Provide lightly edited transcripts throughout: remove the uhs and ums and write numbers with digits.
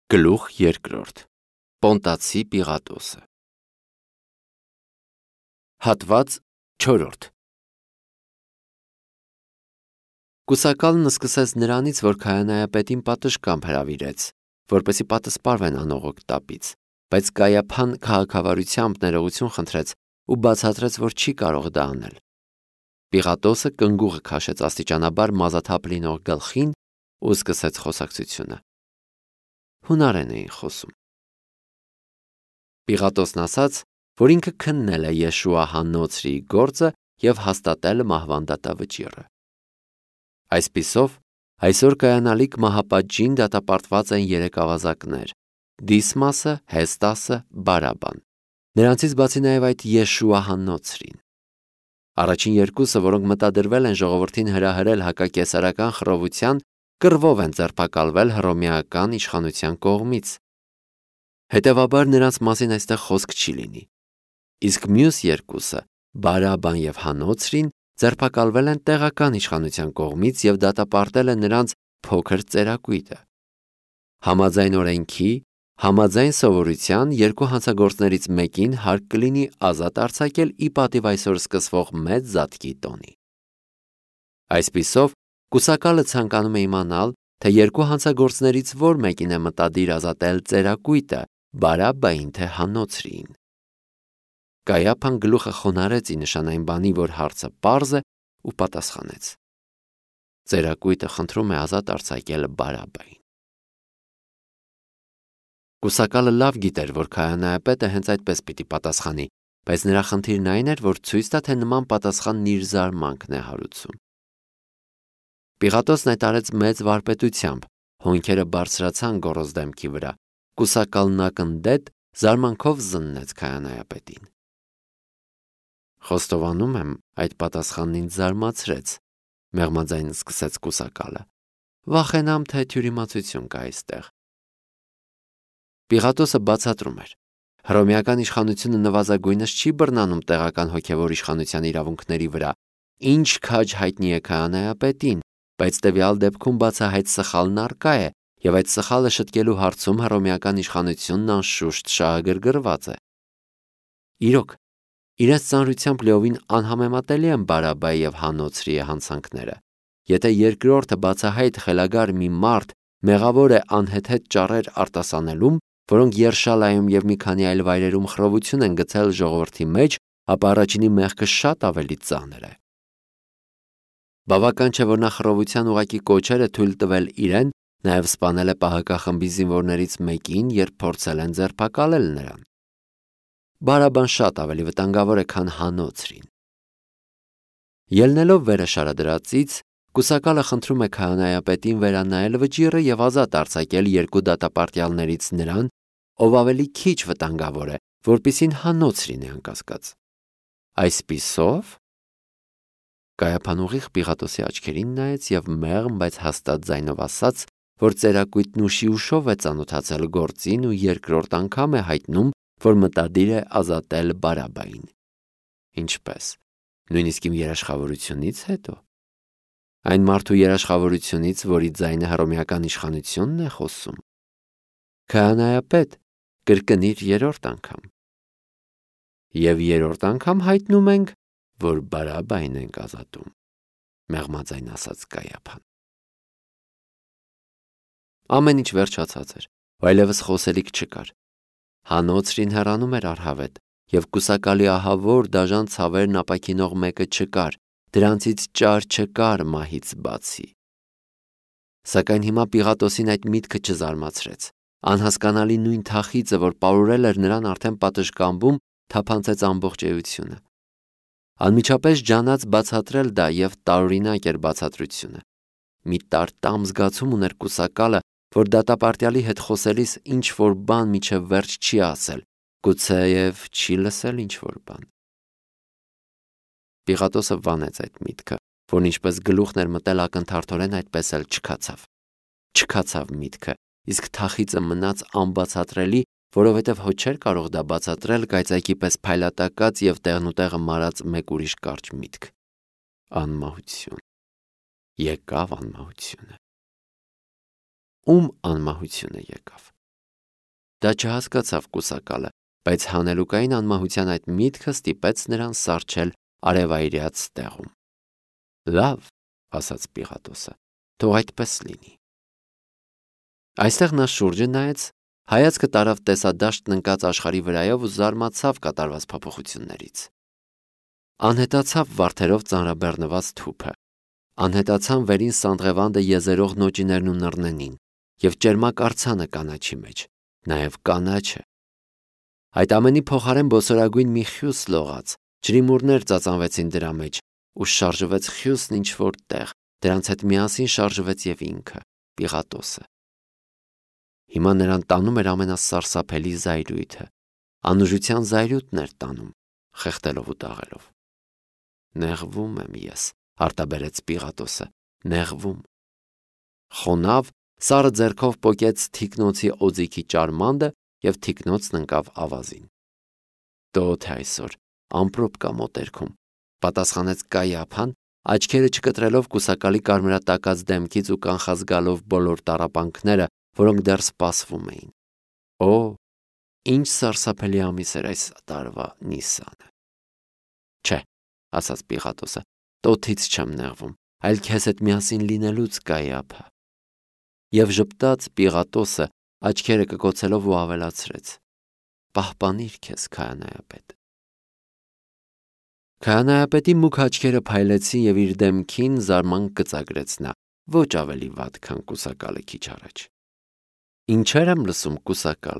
Գլուխ երկրորդ Պոնտացի Պիղատոսը Հատված 4 Կուսակալն սկսեց նրանից, որ քահանայապետին պատշգամբ հրավիրեց, որպեսզի պատսպարվեն անողոք տապից, բայց Կայափան քաղաքավարությամբ ներողություն խնդրեց ու բացատրեց, որ չի կարող դա անել։ Պիղատոսը կնգուղը քաշեց աստիճանաբար մազաթափ լինող գլխին ու սկսեց խոսակցությունը։ Հունարեն էին խոսում։ Պիղատոսն ասաց, որ ինքը քննել է Եշուա հաննոցրի գործը և հաստատել մահվան դատավճիռը։ Այսպիսով, այսօր կայանալիք մահապատժին դատապարտված են 3 ավազակներ՝ Դիսմասը, Հեստասը, Բարաբան։ Նրանցից բացի նաև այդ Եշուա հաննոցրին։ Առաջին երկուսը, որոնք մտադրվել են ժողովրդին հրահրել հակակեսարական խռովության, կռվով են ձերբակալվել հռոմեական իշխանության կողմից։ Հետևաբար նրանց մասին այստեղ խոսք չի լինի։ Իսկ մյուս երկուսը, Բարաբան և Հանոցրին, ձերբակալվել են տեղական իշխանության կողմից և դատապարտել է նրանց փոքր ծերակույտը։ Համաձայն օրենքի, համաձայն սովորության երկու հանցագործներից մեկին հարկ կլինի ազատ արձակել ի պատիվ այսօր սկսվող մեծ զատկի տոնի։ Այսպիսով, կուսակալը ցանկանում է իմանալ, թե երկու հանցագործներից որ մեկին է մտադիր ազատել ծերակույտը, Բարաբային թե Հանոցրիին։ Կայափան գլուխը խոնարհեց ի նշան այն բանի, որ հարցը պարզ է, ու պատասխանեց. ծերակույտը խնդրում է ազատ արձակել Բարաբային։ Կուսակալը լավ գիտեր, որ քահանայապետը հենց այդպես պիտի պատասխանի, բայց նրա խնդիրն այն էր, որ ցույց տա, թե նման պատասխանն իր զարմանքն է հարուցում։ Պիղատոսն այդ արեց մեծ վարպետությամբ, հոնքերը բարձրացան գոռոզ դեմքի վրա, կուսակալն ակնդետ զարմանքով զննեց քահանայապետին։ Խոստովանում եմ, այդ պատասխանն ինձ զարմացրեց, մեղմաձայն սկսեց կուսակալը։ Վախենամ, թե թյուրիմացություն կա այստեղ։ Պիղատոսը բացատրում էր. հռոմեական իշխանությունը նվազագույնս չի բռնանում տեղական հոգևոր իշխանության իրավունքների վրա, ինչ քաջ հայտնի է քահանայապետին, բայց տվյալ դեպքում բացահայտ սխալն առկա է, և այդ սխալը շտկելու հարցում հռոմեական իշխանությունն անշուշտ շահագրգռված է։ Իրոք, իրենց ծանրությամբ լիովին անհամեմատելի են Բարաբայի և Հանոցրի հանցանքները։ Եթե երկրորդը բացահայտ խելագար մի մարդ մեղավոր է անհեթեթ ճառեր արտասանելում, որոնք Երշալայում և մի քանի այլ վայրերում խռովություն են գցել ժողովրդի մեջ, ապա առաջինի մեղքը շատ ավելի ծանր է։ Բավական չէ, որ նա խռովության ուղղակի կոչեր է թույլ տվել իրեն, նաև սպանել է պահակախմբի զինվորներից մեկին, երբ փորձել են ձերբակալել նրան։ Բարաբան շատ ավելի վտանգավոր է, քան Հանոցրին։ Ելնելով վերը շարադրածից, կուսակալը խնդրում է քահանայապետին վերանայել վճիռը և ազատ արձակել երկու դատապարտյալներից նրան, ով ավելի քիչ վտանգավոր է, որպեսզի Հանոցրին է անկասկած։ Այսպիսով, Կայափան ուղիղ Պիղատոսի աչքերին նայեց և մեղմ, բայց հաստատ ձայնով ասաց, որ ծերակույտն ուշի ուշով է ծանոթացել գործին ու երկրորդ անգամ է հայտնում, որ մտադիր է ազատել Բարաբային։ Ինչպես, նույնիսկ իմ երաշխավորությունից հետո։ Այն մարդու երաշխավորությունից, որի ձայնը հռոմեական իշխանությունն է խոսում։ Քահանայապետ, կրկնիր 3-րդ անգամ։ Եվ 3-րդ անգամ հայտնում ենք, որ Բարաբային ենք ազատում, մեղմաձայն ասաց Կայափան։ Ամեն ինչ վերջացած էր, այլևս խոսելիք չկար։ Հանոցրին հեռանում էր առհավետ, և կուսակալի ահավոր դաժան ցավերն ապաքինող մեկը չկար, դրանցից ճար չկար մահից բացի։ Սակայն հիմա Պիղատոսին այդ միտքը չզարմացրեց։ Անհասկանալի նույն թախիծը, որ պարուրել էր նրան արդեն պատշգամբում, թափանցեց ամբողջ էությունը։ Անմիջապես ջանաց բացատրել դա և տարօրինակ էր բացատրությունը։ Մի տարտամ զգացում ուներ կուսակալը, որ դատապարտյալի հետ խոսելիս ինչ-որ բան մինչև վերջ չի ասել, գուցեև չի լսել ինչ-որ բան։ Պիղատոսը վանեց այդ միտքը, որն ինչպես գլուխն էր մտել ակնթարթորեն, այդպես էլ չքացավ։ Չքացավ միտքը, իսկ թախիծը մնաց անբացատրելի, որովհետև հո չէր կարող դա բացատրել կայծակի պես փայլատակած և տեղնուտեղը մարած մեկ ուրիշ կարճ միտք։ Անմահություն։ Եկավ անմահությունը։ Ում անմահությունը եկավ։ Դա չհասկացավ կուսակալը, բայց հանելուկային անմահության այդ միտքը ստիպեց նրան սառչել արևայրյաց տեղում։ Լավ, ասաց Պիղատոսը, թող այդպես լինի։ Այստեղ նա շուրջը նայեց, հայացքը տարավ տեսադաշտն ընկած աշխարհի վրայով ու զարմացավ կատարված փոփոխություններից։ Անհետացավ վարդերով ծանրաբեռնված թուփը, անհետացան վերին Սանդղևանդը եզերող նոճիներն ու նռնենին, և ճերմակ արձանը կանաչի մեջ, նաև կանաչը։ Այդ ամենի փոխարեն բոսորագույն մի խյուս լողաց, ջրիմուռներ ծածանվեցին դրա մեջ, ու շարժվեց խյուսն ինչ-որ տեղ, դրանց հետ միասին շարժվեց և ինքը, Պիղատոսը։ Հիմա նրան տանում էր ամենասարսափելի զայրույթը, անուժության զայրույթն էր տանում, խեղդելով ու դաղելով։ Նեղվում եմ ես, արտաբերեց Պիղատոսը, նեղվում։ Խոնավ, սառը ձեռքով պոկեց թիկնոցի օձիքի ճարմանդը և թիկնոցն ընկավ ավազին։ Տոթ է այսօր, ամպրոպ կա մոտերքում, պատասխանեց Կայափան, աչքերը չկտրելով կուսակալի կարմրատակած դեմքից ու կանխած գալով բոլոր տառապանքները, որոնք դեռ սպասվում էին։ Օ, ինչ սարսափելի ամիս էր այս տարվա Նիսանը։ Չէ, ասաց Պիղատոսը, տոթից չեմ նեղվում, այլ քեզ հետ միասին լինելուց, Կայափա։ Եվ ժպտաց Պիղատոսը, աչքերը կկոցելով ու ավելացրեց. Պահպանիր քեզ, քահանայապետ։ Քահանայապետի մուգ աչքերը փայլեցին և իր դեմքին զարմանք գծագրեց նա, ոչ ավելի վատ, քան կուսակալը քիչ առաջ։ Ինչեր եմ լսում, կուսակալ,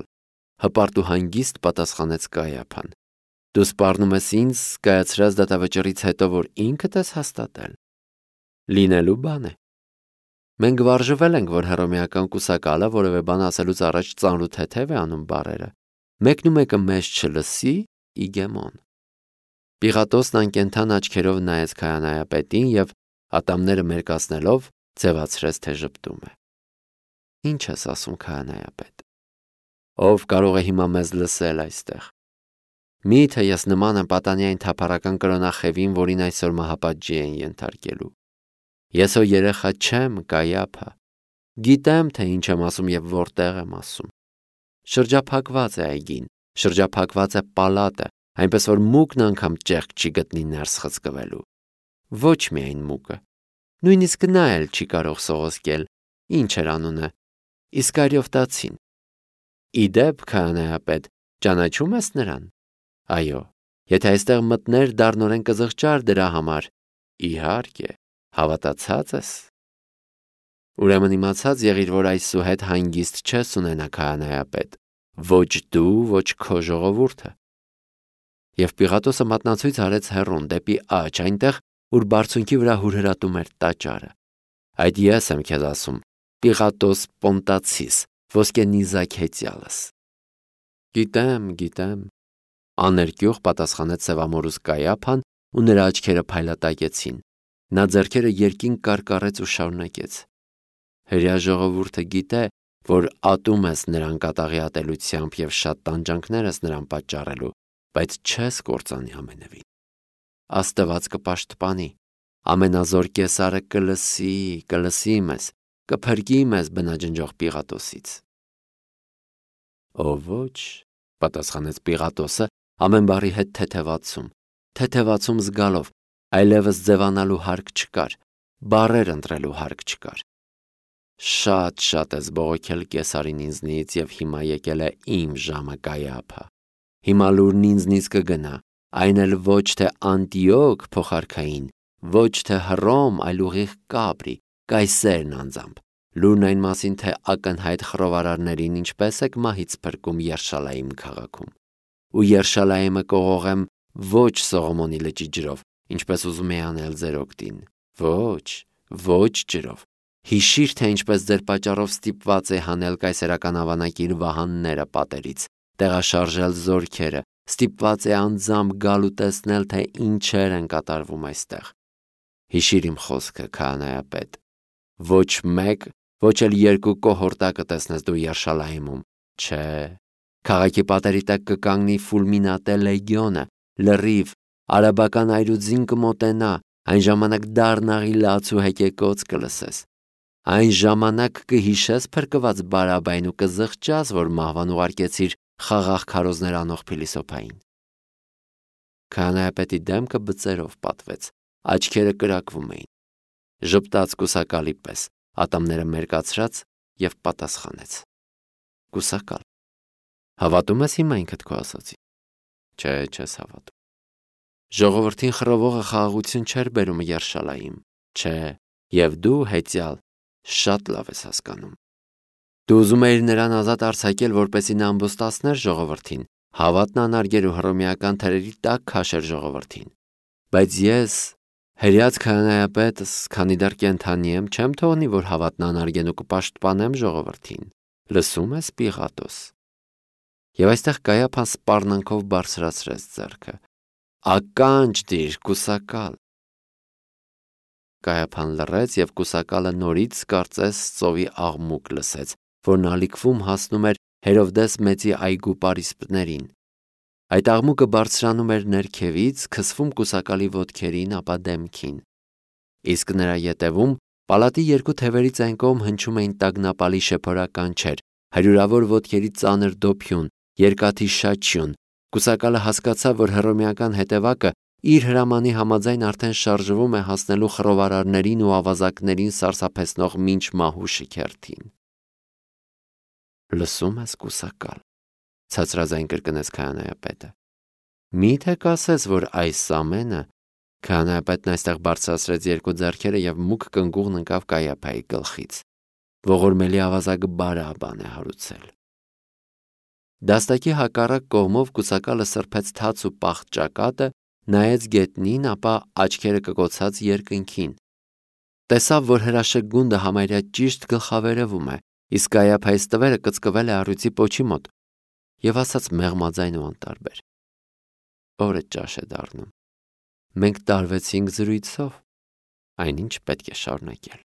հպարտ ու հանգիստ պատասխանեց Կայափան։ Դու սպառնում ես ինձ կայացրած դատավճռից հետո, որ ինքդ ես հաստատել։ Լինելու բան է։ Մենք վարժվել ենք, որ հռոմեական կուսակալը որևէ բան ասելուց առաջ ծանր ու թեթև է անում բառերը։ Մեկն ու մեկը մեզ չլսի, իգեմոն։ Պիղատոսն անկենդան աչքերով նայեց քահանայապետին և ատամները մերկացնելով ձևացրեց, թե ժպտում է։ Ինչ ես ասում, քահանայապետ։ Ով կարող է հիմա մեզ լսել այստեղ։ Միթե ես նման եմ պատանյային թափառական կրոնախևին, որին այսօր մահապատժի են ենթարկելու։ Ես հո երեխա չեմ, Կայափա։ Գիտեմ, թե ինչ եմ ասում և որտեղ եմ ասում։ Շրջափակված է այգին, շրջափակված է պալատը, այնպես որ մուկն անգամ ճեղք չի գտնի ներս խցկվելու։ Ոչ միայն մուկը։ Նույնիսկ նա էլ չի կարող սողոսկել, ինչ էր անունը, Իսկարիովտացին։ Իդեպ, քահանայապետ, ճանաչում ես նրան։ Այո, եթե այստեղ մտներ, դառնորեն կզղջար դրա համար։ Իհարկե, հավատացած ես։ Ուրեմն իմացած եղիր, որ այսուհետ հանգիստ չես ունենա, քահանայապետ, ոչ դու, ոչ քո ժողովուրդը։ Եվ Պիղատոսը մատնացույց արեց հեռուն դեպի աջ, այնտեղ, ուր բարձունքի վրա հուրհրատում էր տաճարը։ Այդ ես եմ քեզ ասում, Պիղատոս Պոնտացիս, ոսկե նիզակեցյալս։ Գիտեմ, աներկյուղ պատասխանեց սևամորուս Կայափան ու նրա աչքերը փայլատակեցին։ Նա ձեռքերը երկինք կարկառեց ու շարունակեց. Հրեա ժողովուրդը գիտե, որ ատում ես նրան կատաղի ատելությամբ և շատ տանջանքներ ես նրան պատճառելու, բայց չես կործանի ամենևին։ Աստված կպաշտպանի, ամենազոր կեսարը կլսի մեզ, կփրկի մեզ բնաջնջող Պիղատոսից։ Ո ոչ, պատասխանեց Պիղատոսը ամեն բառի հետ թեթևացում զգալով, այլևս ձևանալու հարկ չկար, բառեր ընտրելու հարկ չկար։ Շատ ես բողոքել կեսարին ինձնից և հիմա եկել է իմ ժամը, Կայափա։ Հիմա լուրն ինձնից կգնա, այն էլ ոչ թե Անտիոք փոխարքային, ոչ թե Հռոմ, այլ ուղիղ Կապրի, Կայսերն անձամբ, լուրն այն մասին, թե ակնհայտ խռովարարներին ինչպես եք մահից փրկում Երշալայիմ քաղաքում, ու Երշալայիմը կողողեմ ոչ Սողոմոնի լճի ջրով, ինչպես ուզում է անել ձեր օգտին, ոչ ջրով։ Հիշիր, թե ինչպես ձեր պատճառով ստիպված է հանել կայսերական ավանակիր վահանները պատերից, տեղաշարժել զորքերը, ստիպված է անձամբ գալ ու տեսնել, թե ինչեր են կատարվում այստեղ։ Հիշիր իմ խոսքը, քահանայապետ։ Ոչ մեկ, ոչ էլ երկու կոհորտակը տեսնես դու Երշալայիմում, չէ։ Քաղաքի պատերի տակ կկանգնի Ֆուլմինատե լեգիոնը, լրիվ, արաբական այրուձին կմոտենա, այն ժամանակ դառնաղի լաց ու հեկեկոց կլսես։ Այն ժամանակ կհիշես փրկված բարաբային ու կզղջաս, որ մահվան ուղարկեցիր խաղաղ քարոզներ անող փիլիսոփային։ Քահանայապետի դեմքը բծերով պատվեց, աչքերը կրակվում էին։ Ժպտաց կուսակալի պես, ատամները մերկացրած և պատասխանեց. Կուսակալ, հավատում ես հիմա ինքդ քո ասածին։ Չէ, չես հավատում։ Ժողովրդին խռովողը խաղաղություն չէր բերում Երշալայիմ, չէ, և դու հեծյալ շատ լավ ես հասկանում։ Դու ուզում էիր նրան ազատ արձակել, որպեսզի նա ամբոստացներ ժողովրդին, հավատն անարգեր ու հռոմեական թրերի տակ քաշեր ժողովրդին։ Բայց ես, հրեած քահանայապետս, քանի դեռ կենդանի եմ, չեմ թողնի, որ հավատն անարգեն ու կպաշտպանեմ ժողովրդին։ Լսում ես, Պիղատոս։ Եվ այստեղ Կայափան սպառնանքով բարձրացրեց ձեռքը։ Ականջ դիր, կուսակալ։ Կայափան լռեց, և կուսակալը նորից կարծես ծովի աղմուկ լսեց, որն ալիքվում հասնում էր Հերովդես մեծի այգու պարիսպներին։ Այդ աղմուկը բարձրանում էր ներքևից, քսվում կուսակալի ոտքերին, ապա դեմքին։ Իսկ նրա ետևում պալատի երկու թևերից այն կողմ հնչում էին տագնապալի շեփորականչեր, հարյուրավոր ոտքերի ծանր դոփյուն, երկաթի շաչյուն։ Կուսակալը հասկացավ, որ հռոմեական հետևակը իր հրամանի համաձայն արդեն շարժվում է հասնելու խռովարարներին ու ավազակներին սարսափեցնող մինչ մահու շիքերթին։ Լսում ես, կուսակալ, ցածրաձայն կրկնեց քահանայապետը։ Մի՞թե կասես, որ այս ամենը… Քահանայապետն այստեղ բարձրացրեց երկու ձեռքերը և մուգ կնգուղն ընկավ Կայափայի գլխից։ Ողորմելի ավազակը բարաբան է հարուցել։ Դաստակի հակառակ կողմով կուսակալը սրբեց թաց ու պաղ ճակատը, նայեց գետնին, ապա աչքերը կկոցած երկնքին։ Տեսավ, որ հրաշեկ գունդը համարյա ճիշտ գլխավերևում է, իսկ Կայափայի ստվերը կծկվել է առյուծի պոչի մոտ, և ասաց մեղմաձայն ու անտարբեր. Օրը ճաշ է դառնում։ Մենք տարվեցինք զրույցով, այնինչ պետք է շարունակել։